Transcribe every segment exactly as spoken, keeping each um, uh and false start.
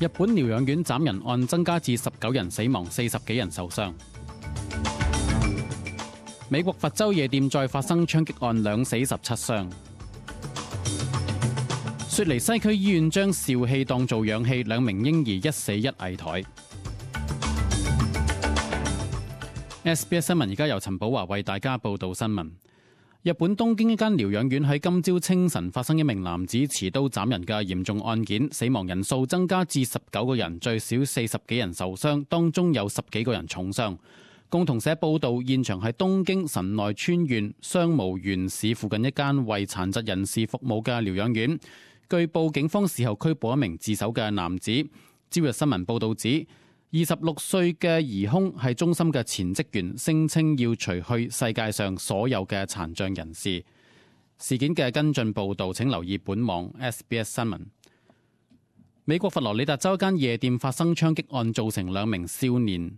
日本療養院斬人案增加至十九人死亡，四十幾人受傷。美國佛州夜店再發生槍擊案，兩死十七傷。雪梨西區醫院將笑氣當做氧氣，兩名嬰兒一死一危殆。S B S 新聞而家由陳寶華為大家報道新聞。日本東京一間療養院喺今朝清晨發生一名男子持刀斬人嘅嚴重案件，死亡人數增加至十九個人，最少四十幾人受傷，當中有十幾個人重傷。共同社報道，現場係東京神奈川縣相模原市附近一間為殘疾人士服務嘅療養院。據報，警方事後拘捕一名自首嘅男子。朝日新聞報道指，二十六歲嘅疑兇係中心嘅前職員，聲稱要除去世界上所有嘅殘障人士。事件嘅跟進報導請留意本網 S B S 新聞。美國佛羅里達州一間夜店發生槍擊案，造成兩名少年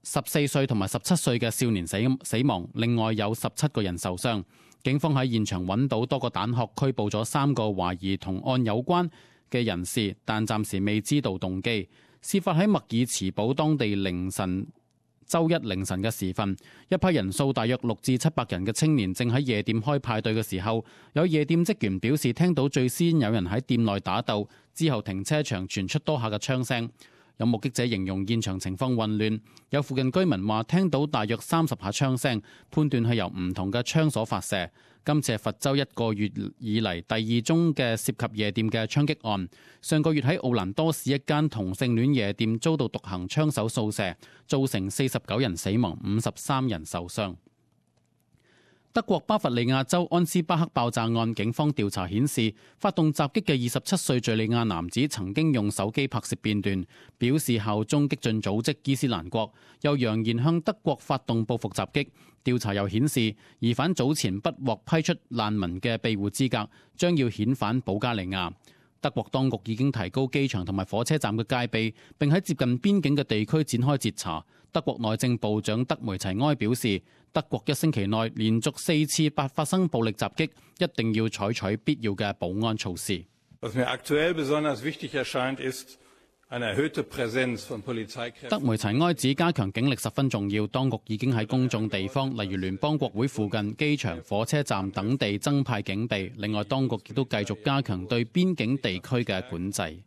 十四歲同埋十七歲嘅少年死死亡，另外有十七個人受傷。警方喺現場揾到多個彈殼，拘捕咗三個懷疑同案有關嘅人士，但暫時未知道動機。事發喺默爾茨堡當地凌晨，周一凌晨嘅時分，一批人數大約六至七百人嘅青年正喺夜店開派對嘅時候，有夜店職員表示聽到最先有人喺店內打鬥，之後停車場傳出多下嘅槍聲。有目擊者形容現場情況混亂，有附近居民話聽到大約三十下槍聲，判斷係由唔同嘅槍所發射。今次係佛州一個月以嚟第二宗嘅涉及夜店嘅槍擊案。上個月喺奧蘭多市一間同性戀夜店遭到獨行槍手掃射，造成四十九人死亡，五十三人受傷。德國巴伐利亞州安斯巴克爆炸案，警方調查顯示，發動襲擊嘅二十七歲敘利亞男子曾經用手機拍攝片段，表示效忠激進組織伊斯蘭國，又揚言向德國發動報復襲擊。調查又顯示，疑犯早前不獲批出難民嘅庇護資格，將要遣返保加利亞。德國當局已經提高機場同埋火車站嘅戒備，並喺接近邊境嘅地區展開截查。德國內政部長德梅齊埃表示，德國一星期內連續四次發發生暴力襲擊，一定要採取必要嘅保安措施。德梅齊埃指加強警力十分重要，當局已經喺公眾地方，例如聯邦國會附近、機場、火車站等地增派警備。另外，當局亦都繼續加強對邊境地區嘅管制。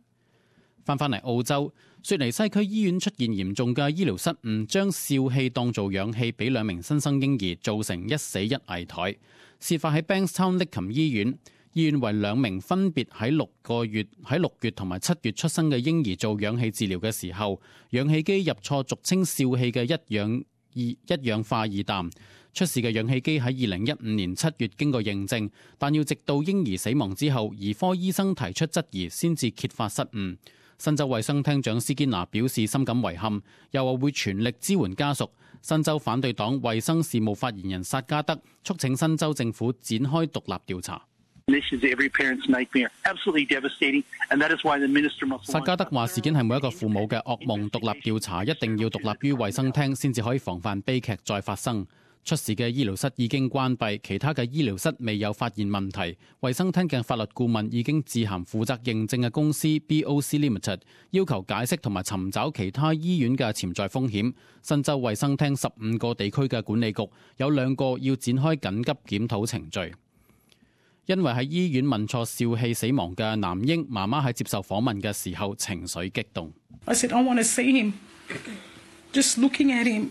翻返嚟澳洲，雪梨西區醫院出現嚴重嘅醫療失誤，將笑氣當做氧氣俾兩名新生嬰兒，造成一死一危殆。事發喺 Bankstown 利琴醫院。醫院為兩名分別喺六個月、喺六月同埋七月出生嘅嬰兒做氧氣治療嘅時候，氧氣機入錯俗稱笑氣嘅一氧二一氧化二氮。出事嘅氧氣機喺二零一五年七月經過認證，但要直到嬰兒死亡之後，兒科醫生提出質疑，先至揭發失誤。新州衛生廳長斯堅拿表示深感遺憾，又話會全力支援家屬。新州反對黨衛生事務發言人薩加德促請新州政府展開獨立調查。薩加德話：事件係每一個父母嘅噩夢，獨立調查一定要獨立於衛生廳，先至可以防範悲劇再發生。出事嘅醫療室已經關閉，其他嘅醫療室未有發現問題。衛生廳嘅法律顧問已經致函負責認證嘅公司 B O C Limited， 要求解釋同埋尋找其他醫院嘅潛在風險。新州衛生廳十五個地區嘅管理局有兩個要展開緊急檢討程序。因為喺醫院問錯笑氣死亡嘅男嬰，媽媽喺接受訪問嘅時候情緒激動。I said, I want to see him. Just looking at him.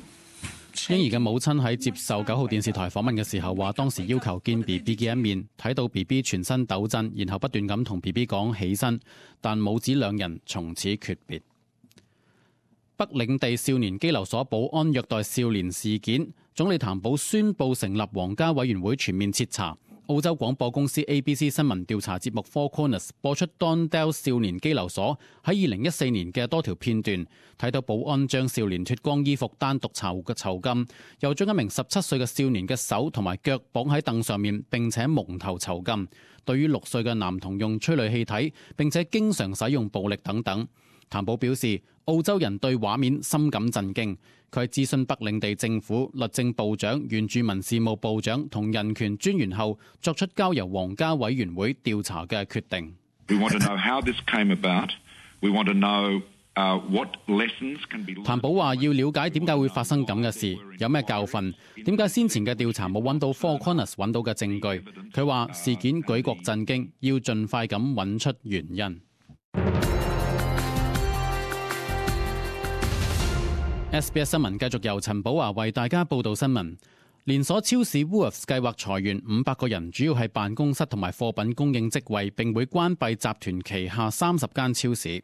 嬰兒嘅母親喺接受九號電視台訪問嘅時候話，當時要求見 B B 嘅一面，睇到 B B 全身抖震，然後不斷咁同 B B 講起身，但母子兩人從此訣別。北領地少年羈留所保安虐待少年事件，總理譚寶宣布成立皇家委員會全面徹查。澳洲廣播公司 A B C 新聞調查節目 Four Corners 播出 Dondale 少年羈留所喺二零一四年嘅多條片段，睇到保安將少年脫光衣服單獨囚嘅囚禁，又將一名十七歲嘅少年嘅手同埋腳綁喺凳上面，並且蒙頭囚禁。對於六歲嘅男童用催淚氣體，並且經常使用暴力等等。譚寶表示，澳洲人對畫面深感震驚。佢喺諮詢北領地政府、律政部長、原住民事務部長同人權專員後，作出交由皇家委員會調查嘅決定。We want to know how this came about. We want to know uh, what lessons can be learned. 譚寶話：要了解點解會發生咁嘅事，有咩教訓？點解先前嘅調查冇揾到 Four Corners 揾到嘅證據？佢話事件舉國震驚，要盡快咁揾出原因。S B S 新聞繼續由陳寶華為大家報道新聞。連鎖超市 Woolworths 計劃裁員五百個人，主要係辦公室同埋貨品供應職位，並會關閉集團旗下三十間超市。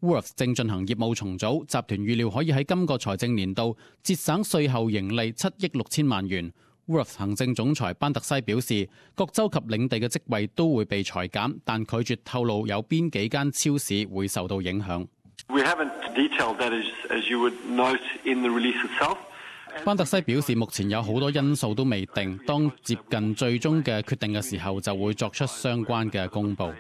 Woolworths 正進行業務重組，集團預料可以喺今個財政年度節省稅後盈利七億六千萬元。Woolworths 行政總裁班特西表示，各州及領地嘅職位都會被裁減，但拒絕透露有邊幾間超市會受到影響。We haven't detailed that as, as you would note in the release itself. 班特西表示，目前有好多因素都未定，當接近最終嘅決定嘅時候，就會作出相關嘅公佈。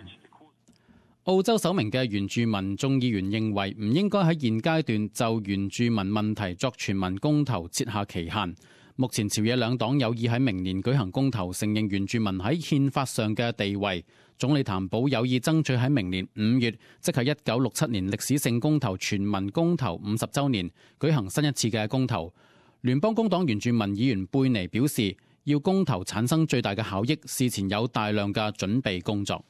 澳洲首名嘅原住民眾議員認為，唔應該喺現階段就原住民問題作全民公投設下期限。目前朝野兩黨有意喺明年舉行公投，承認原住民喺憲法上嘅地位。總理譚寶有意爭取喺明年五月，即係一九六七年歷史性公投全民公投五十週年，舉行新一次嘅公投。聯邦工黨原住民議員貝尼表示，要公投產生最大嘅效益，事前有大量嘅準備工作。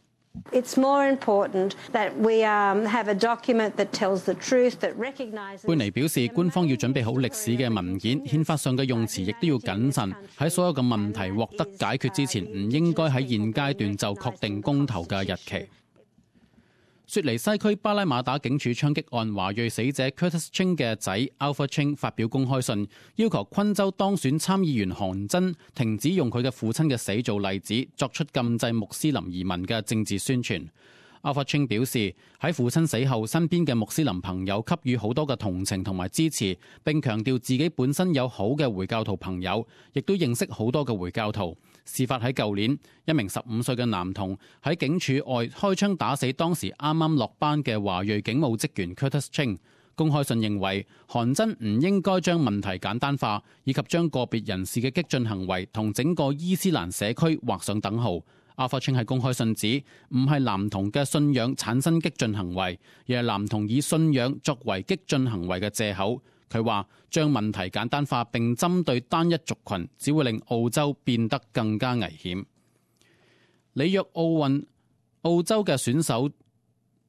It's more important that we have a document that tells the truth, that recognizes. 貝尼表示，官方要準備好歷史嘅文件，憲法上嘅用詞亦都要謹慎。喺所有嘅問題獲得解決之前，唔應該喺現階段就確定公投嘅日期。雪梨西區巴拉馬打警署槍擊案華裔死者 Curtis Ching 嘅仔 Alpha Ching 發表公開信，要求昆州當選參議員韓真停止用佢嘅父親嘅死做例子，作出禁制穆斯林移民嘅政治宣傳。Alpha Ching 表示，喺父親死後，身邊嘅穆斯林朋友給予好多嘅同情同埋支持，並強調自己本身有好嘅回教徒朋友，亦都認識好多嘅回教徒。事發喺舊年，一名十五歲嘅男童喺警署外開槍打死當時啱啱落班嘅華裔警務職員 Curtis Ching。公開信認為，韓真唔應該將問題簡單化，以及將個別人士嘅激進行為同整個伊斯蘭社區畫上等號。Alpha Ching 喺公開信指，唔係男童嘅信仰產生激進行為，而係男童以信仰作為激進行為嘅藉口。佢話將問題簡單化並針對單一族群，只會令澳洲變得更加危險。里約奧運澳洲嘅選手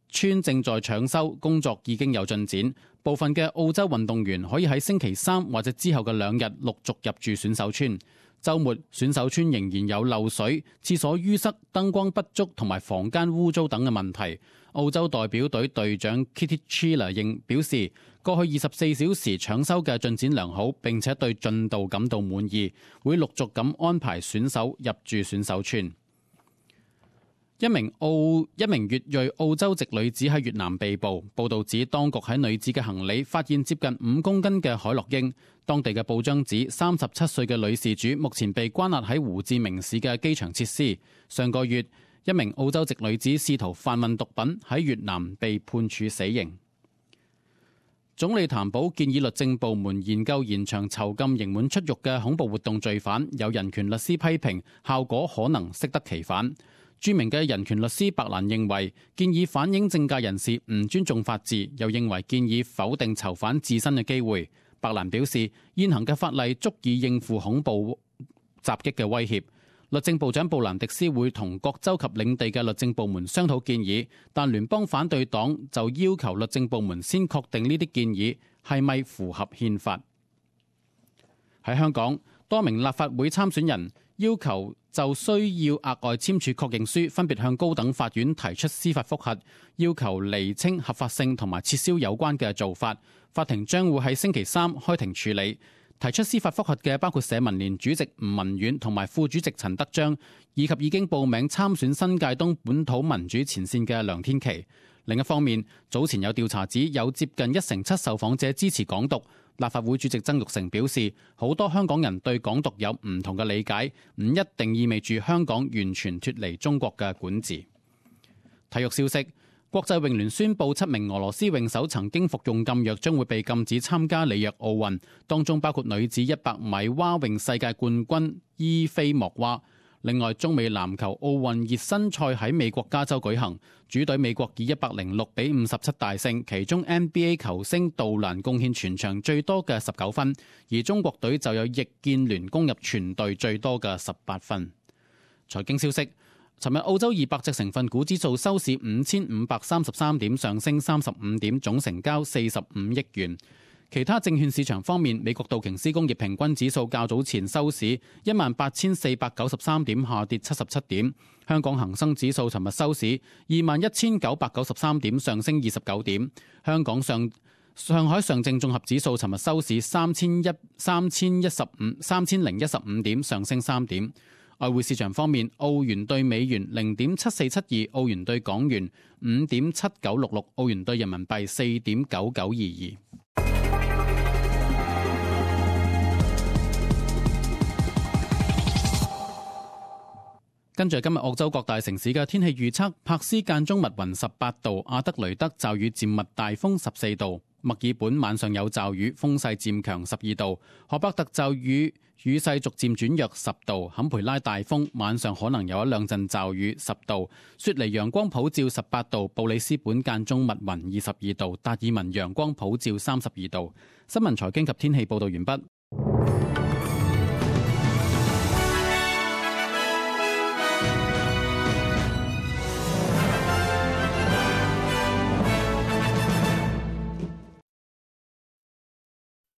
村正在搶修，工作已經有進展。部分嘅澳洲運動員可以喺星期三或者之後嘅兩日陸續入住選手村。週末選手村仍然有漏水、廁所淤塞、燈光不足同埋房間污糟等嘅問題。澳洲代表隊隊長 Kitty Chiller 應表示，過去二十四小時搶修嘅進展良好，並且對進度感到滿意，會陸續咁安排選手入住選手村。一名澳一名越裔澳洲籍女子喺越南被捕，報道指當局喺女子嘅行李發現接近五公斤嘅海洛因。當地嘅報章指，三十七歲嘅女事主目前被關押喺胡志明市嘅機場設施。上個月，一名澳洲籍女子試圖販運毒品喺越南被判處死刑。總理譚寶建議律政部門研究延長囚禁刑滿出獄嘅恐怖活動罪犯，有人權律師批評效果可能適得其反。著名嘅人權律師白蘭認為，建議反映政界人士唔尊重法治，又認為建議否定囚犯自身嘅機會。白蘭表示，現行嘅法例足以應付恐怖襲擊嘅威脅。律政部長布蘭迪斯會同各州及領地嘅律政部門商討建議，但聯邦反對黨就要求律政部門先確定呢啲建議係咪符合憲法。喺香港，多名立法會參選人要求就需要額外簽署確認書，分別向高等法院提出司法覆核，要求釐清合法性同埋撤銷有關嘅做法。法庭將會喺星期三開庭處理。提出司法覆核嘅包括社民連主席吳文遠同埋副主席陳德章，以及已經報名參選新界東本土民主前線嘅梁天琦。另一方面，早前有調查指有接近一成七受訪者支持港獨。立法會主席曾鈺成表示，好多香港人對港獨有唔同嘅理解，唔一定意味住香港完全脫離中國嘅管治。體育消息，國際泳聯宣布七名俄羅斯泳手曾經服用禁藥，將會被禁止參加里約奧運，當中包括女子一百米蛙泳世界冠軍伊菲莫娃。另外，中美籃球奧運熱身賽喺美國加州舉行，主隊美國以一百零六比五十七大勝，其中 N B A 球星杜蘭貢獻全場最多嘅十九分，而中國隊就有易建聯攻入全隊最多嘅十八分。財經消息，尋日澳洲二百隻成分股指數收市五千五百三十三點，上升三十五點，總成交四十五億元。其他證券市場方面，美國道瓊斯工業平均指數較早前收市一萬八千四百九十三點，下跌七十七點。香港恒生指數尋日收市二萬一千九百九十三點，上升二十九點。香港上上海上證綜合指數尋日收市三千一三千一十五三千零一十五點，上升三點。外匯市場方面，澳元對美元零點七四七二，澳元對港元五點七九六六，澳元對人民幣四點九九二二。跟住今日澳洲各大城市嘅天氣預測：柏斯間中密雲十八度，阿德雷德驟雨漸密大風十四度，墨爾本晚上有驟雨，風勢漸強十二度，荷伯特驟雨雨勢逐漸轉弱十度，坎培拉大風，晚上可能有一兩陣驟雨十度，雪梨陽光普照十八度，布里斯本間中密雲二十二度，達爾文陽光普照三十二度。新聞財經及天氣報導完畢。